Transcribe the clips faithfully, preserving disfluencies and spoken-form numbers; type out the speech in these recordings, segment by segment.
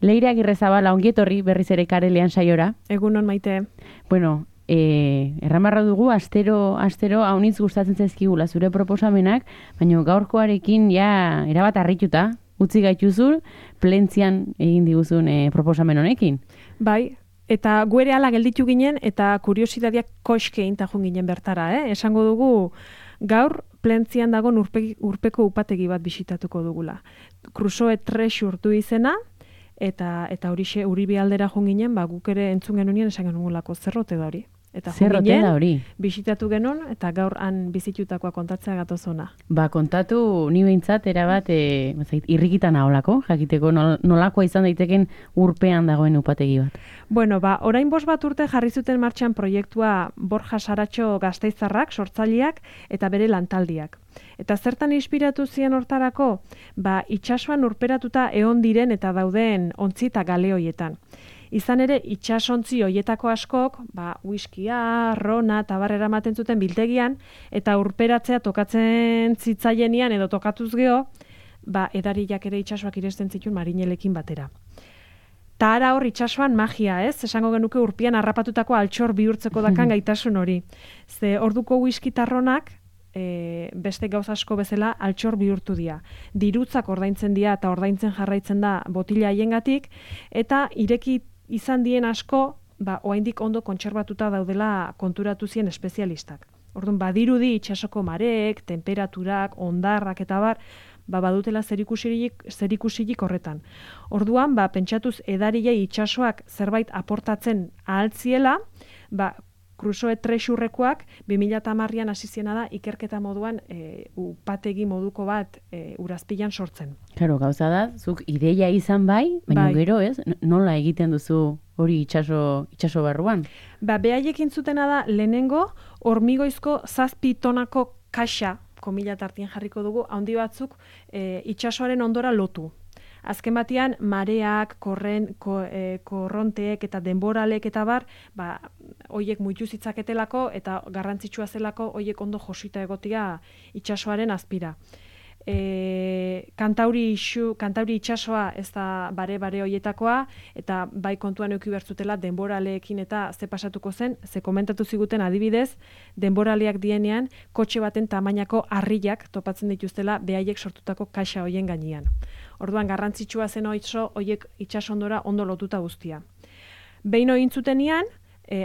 Leire Agirrezabala, ongietorri berriz ere Karelean saiora. Egunon Maite. Bueno, eh, erramarra dugu, astero, astero haunitz gustatzen zaizkigula zure proposamenak, baina gaurkoarekin ja erabat harrituta, utzi gaituzun, plentzian egin diguzun eh, proposamen honekin. Bai, eta guere ala gelditu ginen, eta kuriositateak koske intajun ginen bertara, eh? Esango dugu, gaur plentzian dago urpe, urpeko upategi bat bisitatuko dugula. Crusoe Treasure du izena, eta eta horixe Uribe aldera joan ginen, ba guk ere entzun genuen esan genugulako zerrote da hori. Eta zerrote da hori. Bisitatu genuen eta gaur han bizitutakoa kontatzea gatoz ona. Ba, kontatu ni behintzat erabat e, irrikitan aholako, jakiteko nol, nolakoa izan daiteken urpean dagoen upategi bat. Bueno, ba, orain bost bat urte jarri zuten martxan proiektua Borja Saratxo Gasteiztarrak, sortzaileak eta bere lantaldiak. Eta zertan inspiratu ziren hortarako? Ba, itsasoan urperatuta egon diren eta dauden ontzi eta gale hoietan. Izan ere, itsasontzi hoietako askok, ba, whiskia, rona eta barrera ematen zuten biltegian, eta urperatzea tokatzen zitzaienian edo tokatuz geho, ba, edariak ere itsasoak iresten zituen marinelekin batera. Ta ara hor itsasoan magia, ez? Esango genuke urpian harrapatutako altxor bihurtzeko dakan gaitasun hori. Ze orduko whisky tarronak, E, beste gauza asko bezala altxor bihurtu dira. Dirutzak ordaintzen dira eta ordaintzen jarraitzen da botila haiengatik, eta ireki izan dien asko, ba, oraindik ondo kontserbatuta daudela konturatu zien espezialistak. Orduan, badirudi itsasoko mareek, temperaturak, ondarrak eta bar, ba, badutela zerikusirik, zerikusirik horretan. Orduan, ba, pentsatuz edariei itsasoak zerbait aportatzen ahaltziela, ba, Crusoe Treasurekoak bi mila hamarrean hasi ziena da ikerketa moduan e, upategi moduko bat e, urazpilan sortzen. Claro, gauza da, zuk ideia izan bai, baina bai. Gero ez, nola egiten duzu hori itsaso itsaso barruan? Ba, behaiekin zutena da lehenengo hormigoizko zazpi tonako kaxa, komila tartien jarriko dugu, handi batzuk e, itsasoaren ondora lotu. Azken batean, mareak, korren, ko, e, korronteek eta denboralek eta bar, ba, hoiek muitu zitzaketelako eta garrantzitsua zelako hoiek ondo josita egotia itsasoaren azpira. E, kantauri, isu, kantauri itsasoa ez da bare-bare hoietakoa, eta bai kontuan euki bertzutela denboraleekin eta ze pasatuko zen, ze komentatu ziguten adibidez, denboraleak dienean, kotxe baten tamainako harriak topatzen dituztela behaiek sortutako kaxa hoien gainean. Orduan garrantzitsua zen oitzo hoiek itsasondora ondo lotuta guztia. Behin egin zutenean,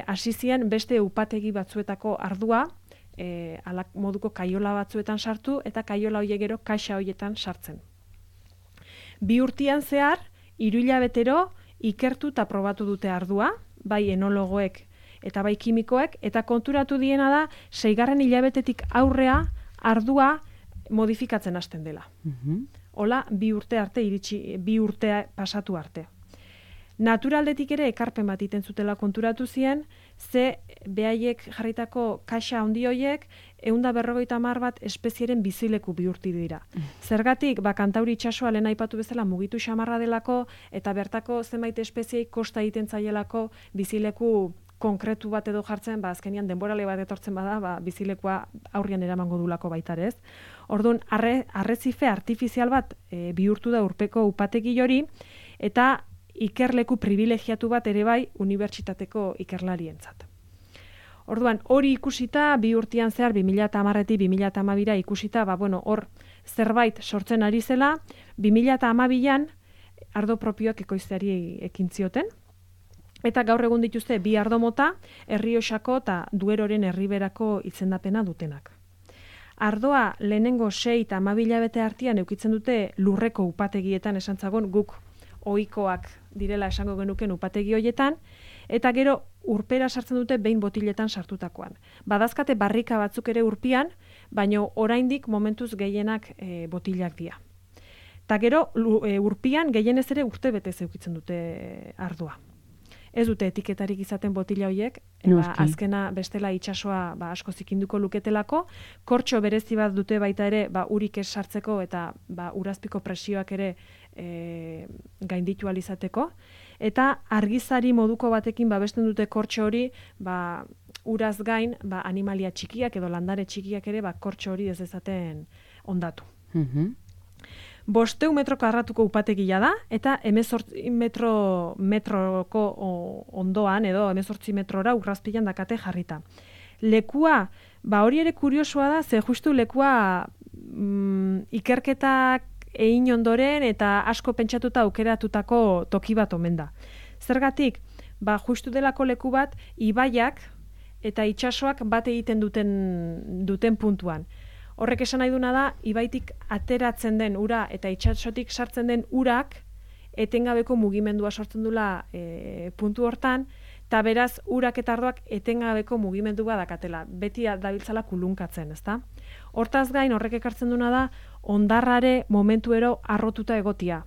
hasi e, zian beste upategi batzuetako ardua, e, alak moduko kaiola batzuetan sartu eta kaiola hoiek gero kaxa hoietan sartzen. Bi urtean zehar, hiru hilabetero ikertu eta probatu dute ardua, bai enologoek eta bai kimikoek, eta konturatu diena da seigarren hilabetetik aurrea ardua modifikatzen hasten dela. Mhm. Hola, bi urte arte iritsi, bi urtea pasatu arte. Naturaldetik ere ekarpen bat iten zutela konturatu zien, ze behaiek jarritako kaxa handi hoiek ehun eta berrogeita hamar bat espezieren bizileku bihurtu dira. Zergatik, ba, Kantauri itsasoa lehen aipatu bezala mugitu xamarra delako, eta bertako zenbait espeziei kosta egiten zaielako bizileku konkretu bat edo jartzen, ba, azkenian denborale bat etortzen bada, ba, bizilekua aurrian eramango dulako baitarez. Orduan, arre, arrezife artifizial bat e, bihurtu da urpeko upategi hori, eta ikerleku privilegiatu bat ere bai unibertsitateko ikerlarientzat. Orduan, hori ikusita, bi urtean zehar, bi mila hamarretik bi mila hamabira ikusita, ba, bueno, hor zerbait sortzen ari zela, bi mila hamabian ardo propioak ekoizteari ekin zioten, eta gaur egun dituzte bi ardo mota, Errioxako eta Dueroren herriberako izendapena dutenak. Ardoa lehenengo sei eta hamabi hilabete artean eukitzen dute lurreko upategietan esan zagon guk ohikoak direla esango genuken upategi hoietan, eta gero urpera sartzen dute behin botiletan sartutakoan. Badazkate barrika batzuk ere urpian, baino oraindik momentuz gehienak e, botilak dira. Ta gero e, urpian gehienez ere urte betez eukitzen dute ardoa. Ez dute etiketarik izaten botila hoiek, ba, azkena bestela itsasoa ba, asko zikinduko luketelako, kortxo berezi bat dute baita ere ba, urik ez sartzeko eta ba, urazpiko presioak ere e, gainditu alizateko, eta argizari moduko batekin babesten dute kortxo hori ba, uraz gain ba, animalia txikiak edo landare txikiak ere ba, kortxo hori ez dezaten ondatu. Mhm. Bosteu metro karratuko upategia da, eta hemezortzi metro, metroko ondoan, edo hemezortzi metrora urrazpilan dakate jarrita. Lekua, ba hori ere kuriosoa da, ze justu lekua mm, ikerketak egin ondoren eta asko pentsatuta aukeratutako toki bat omen da. Zergatik, ba justu delako leku bat, ibaiak eta itsasoak bat egiten duten, duten puntuan. Horrek esan nahi duna da, ibaitik ateratzen den ura eta itsasotik sartzen den urak etengabeko mugimendua sortzen dula e, puntu hortan, eta beraz urak eta ardoak etengabeko mugimendua dakatela, beti dabiltzala kulunkatzen, ezta? Hortaz gain horrek ekartzen duna da, ondarrare momentuero arrotuta egotia.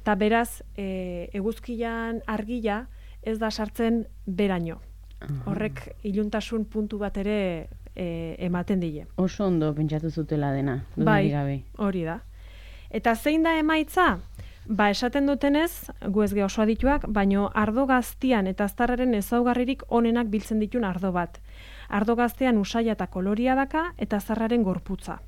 Eta beraz, e, eguzkian argila ez da sartzen beraino. Horrek iluntasun puntu bat ere e, ematen dile. Oso ondo pentsatu zutela dena, bai, gabe. Hori da. Eta zein da emaitza? Ba, esaten dutenez, gu ez ge oso adituak, baino ardo gaztian eta aztarraren ezaugarririk onenak biltzen ditun ardo bat. Ardo gaztean usaia eta koloria daka eta aztarraren gorputza.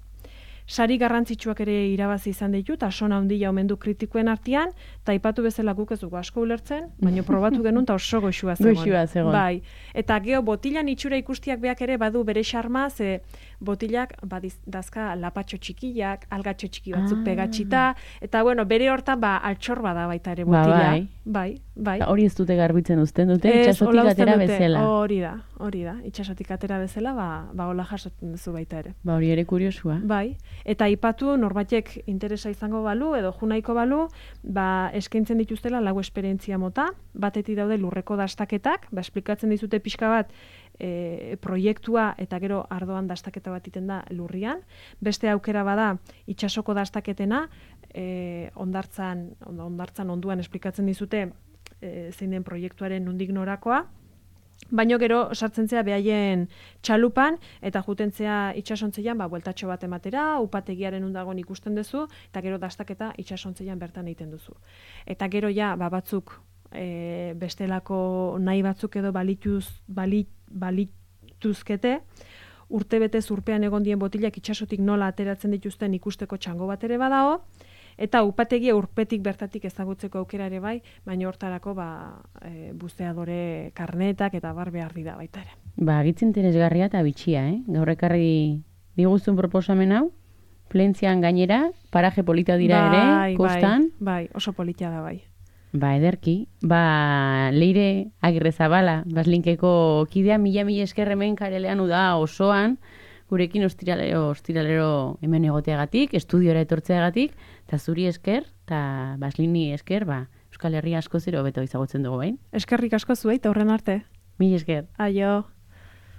Sari garrantzitsuak ere irabazi izan ditu, eta sona handia omen du kritikoen artean, eta aipatu bezala guk ez dugu asko ulertzen, baina probatu genuen eta oso goxua zegoen. Goxua zegoen. Bai. Eta geho botilan itxura ikustiak beak ere badu bere xarma, ze botilak badiz, dazka lapatxo txikiak, algatxo txiki batzuk ah. pegatxita, eta bueno, bere hortan ba altxor bada baita ere botila. Ba, bai. Bai, bai. Hori ez dute garbitzen uzten dute, itxasotik atera bezala. Hori da, hori da. Itxasotik atera bezala, ba, ba hola jasotzen duzu baita ere. Ba hori ere kuriosua. Bai. Eta aipatu norbaitek interesa izango balu edo junaiko balu, ba eskaintzen dituztela lau esperientzia mota, batetik daude lurreko dastaketak, ba esplikatzen dizute pixka bat e, proiektua eta gero ardoan dastaketa bat iten da lurrian. Beste aukera bada itsasoko dastaketena, e, ondartzan, ondartzan onduan esplikatzen dizute e, zein den proiektuaren nondik norakoa. Baino gero sartzen zea behaien txalupan eta jutentzea itsasontzian ba bueltatxo bat ematera, upategiaren undagon ikusten duzu eta gero dastaketa itsasontzian bertan egiten duzu. Eta gero ja ba batzuk e, bestelako nahi batzuk edo balituz balit, balituzkete urtebete urpean egon dien botilak itsasotik nola ateratzen dituzten ikusteko txango bat ere badao. Eta upategia urpetik bertatik ezagutzeko aukera ere bai, baina hortarako ba, e, buzeadore karnetak eta bar behar dira baita ere. Ba, agitz interesgarria eta bitxia, eh? Gaur ekarri diguzun proposamen hau, Plentzian gainera, paraje polita dira bai, ere, kostan. Bai, bai, oso polita da bai. Ba, ederki. Ba, Leire Agirrezabala, Baslinkeko kidea mila mila esker hemen karelean uda osoan, gurekin ostiralero, ostiralero hemen egoteagatik, estudiora etortzeagatik, eta zuri esker, eta Baslini esker, ba, Euskal Herria asko zero beto izagotzen dugu bain. Eskerrik asko zuei, eta horren arte. Mil esker. Aio.